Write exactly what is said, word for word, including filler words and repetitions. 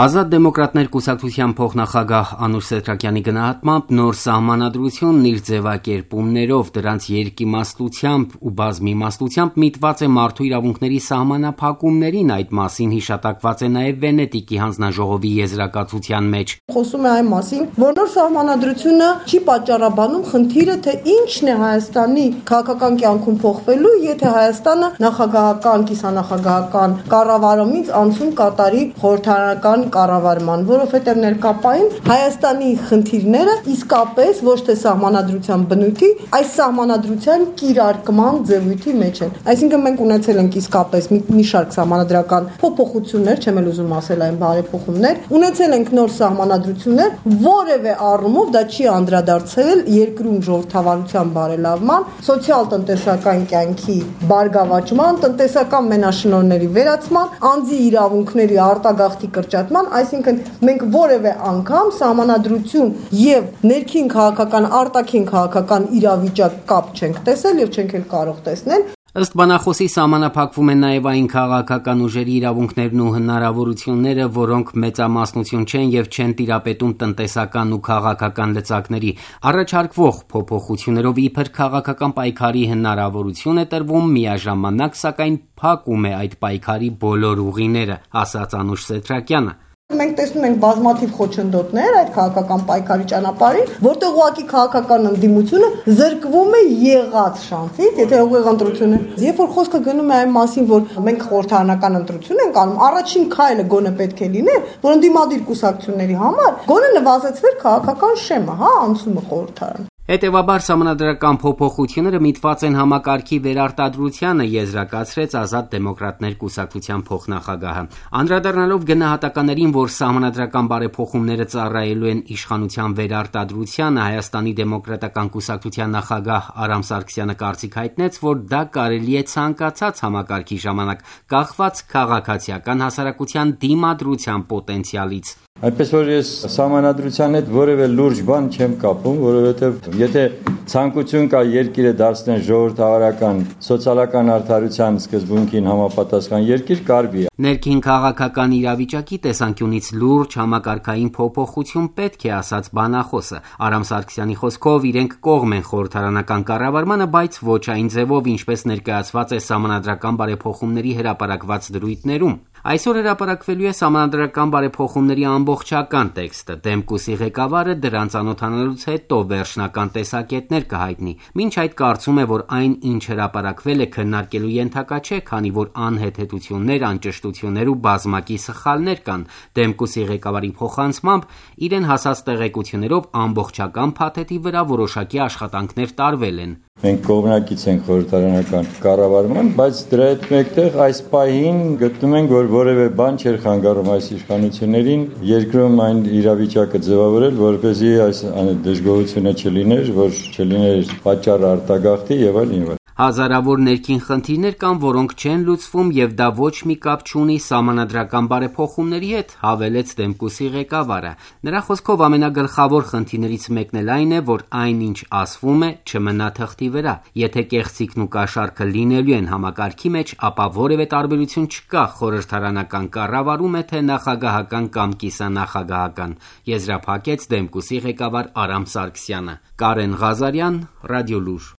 Ազատ դեմոկրատներ կուսակցության փոխնախագահ Անուշ Սեդրակյանի գնահատմամբ նոր սահմանադրությունն իր ձևակերպումներով, դրանց երկիմաստությամբ ու բազմիմաստությամբ միտված է մարդու իրավունքների սահմանափակումներին, այդ մասին հիշատակված է նաև Վենետիկի հանձնաժողովի եզրակացության մեջ։ Խոսում է այն մասին, որ նոր սահմանադրությունը չի պատճառաբանում խնդիրը, թե ինչն է Հայաստանի քաղաքական կյանքում փոխվելու, եթե Հայաստանը նախագահական, կիսանախագահական կառավարումից անցում կատարի խորհրդարանական կառավարման, որովհետև ներկապային Հայաստանի խնդիրները իսկապես ոչ թե սահմանադրության բնույթի, այս սահմանադրության կիրարկման ձևույթի մեջ են։ Այսինքն մենք ունեցել ենք իսկապես մի, մի շարք սահմանադրական փոփոխություններ, չեմ էլ ուզում ասել այն բարեփոխումներ, ունեցել ենք նոր սահմանադրություններ, որևէ առումով դա չի անդրադարձել երկրում ժողովրդավարության բարելավման, սոցիալ-տնտեսական կյանքի բարգավաճման, տնտեսական մենաշնորհների վերացման, անձի իրավունքների արտագաղթի կրճատման, այսինքն մենք որևէ անգամ սահմանադրություն եւ ներքին քաղաքական, արտաքին քաղաքական իրավիճակ կապ չենք տեսել եւ չենք էլ կարող տեսնել։ Ըստ բանախոսի սահմանափակվում են նաև այն քաղաքական ուժերի իրավունքներն ու հնարավորությունները, որոնք մեծամասնություն չեն եւ չեն տիրապետում տնտեսական ու քաղաքական լծակների։ Առաջարկվող փոփոխություններով իբր քաղաքական պայքարի հնարավորություն է տրվում, միաժամանակ սակայն փակում է այդ պայքարի բոլոր ուղիները, ասաց Անուշ Սեդրակյանը։ Մենք տեսնում ենք բազմաթիվ խոչընդոտներ այդ քաղաքական պայքարի ճանապարհին, որտեղ ուղղակի քաղաքական ընդդիմությունը զրկվում է եղած շանսից, եթե ուղիղ ընտրություն է։ Երբ որ խոսքը գնում է այն մասին, որ մենք խորհրդարանական ընտրություն ենք անում, առաջին քայլը գոնե պետք է լիներ, որ ընդդիմադիր կուսակցությունների համար գոնե նվազեցվեր քաղաքական շեմը, հա, անցումը խորհրդարան։ Հետևաբար սահմանադրական փոփոխությունները միտված են համակարգի վերարտադրությանը, եզրակացրեց Ազատ դեմոկրատներ կուսակցության փոխնախագահը։ Անդրադառնալով գնահատականներին, որ սահմանադրական բարեփոխումները ծառայելու են իշխանության վերարտադրությանը, Հայաստանի դեմոկրատական կուսակցության նախագահ Արամ Սարգսյանը կարծիք հայտնեց, որ դա կարելի է ցանկացած համակարգի ժամանակ, կախված քաղաքացիական հասարակության դիմադրության պոտենցիալից։ Այնպես որ ես սահմանադրության հետ որևէ լուրջ բան չեմ կապում, որովհետև եթե ցանկություն կա երկիրը դարձնել ժողովրդավարական, սոցիալական արդարության սկզբունքին համապատասխան երկիր, կարելի է։ Ներքին քաղաքական իրավիճակի տեսանկյունից լուրջ համակարգային փոփոխություն պետք է, ասաց բանախոսը։ Արամ Սարգսյանի խոսքով իրենք կողմ են խորհրդարանական կառավարմանը, բայց ոչ այն ձևով, ինչպես ներկայացված է սահմանադրական բարեփոխումների հրապարակված դրույթներում։ Այսօր հրապարակվելու է սահմանադրական բարեփոխումների ամբողջական տեքստը։ Դեմկուսի ղեկավարը դրան ծանոթանալուց հետո վերջնական տեսակետներ կհայտնի։ Մինչ այդ կարծում է, որ այն, ինչ հրապարակվել է, քննարկելու ենթակա չէ, քանի որ անհեթեթություններ, անճշտություններ ու բազմակի սխալներ կան։ Դեմկուսի ղեկավարի փոխանցմամբ իրեն հասած տեղեկություններով ամբողջական փաթեթի վրա որոշակի աշխատանքներ տարվել են։ Մենք կողմնակից ենք խորհրդարանական կառավարման, բայց դրա հետ մեկտեղ այս պահին գտնում ենք, որ որևէ բան չէր խանգարում այս իշխանություններին երկրում այն իրավիճակը ձևավորել, որպեսզի այս դժգոհությունը չլիներ, որ չլիներ պատճառ արտագաղթի եւ այլն եւ այլն։ Հազարավոր ներքին խնդիրներ կան, որոնք չեն լուծվում եւ դա ոչ մի կապ չունի սահմանադրական բարեփոխումների հետ, հավելեց Դեմկուսի ղեկավարը։ Նրա խոսքով ամենագլխավոր խնդիրներից մեկն էլ այն է, որ այն, ինչ ասվում է, չմնա թղթի վրա։ Եթե կեղծիքն ու կաշառքը լինելու են համակարգի մեջ, ապա որևէ տարբերություն չկա խորհրդարանական կառավարում է թե նախագահական կամ կիսանախագահական, եզրափակեց Դեմկուսի ղեկավար Արամ Սարգսյանը։ Կարեն Ղազարյան, Ռադիոլուր։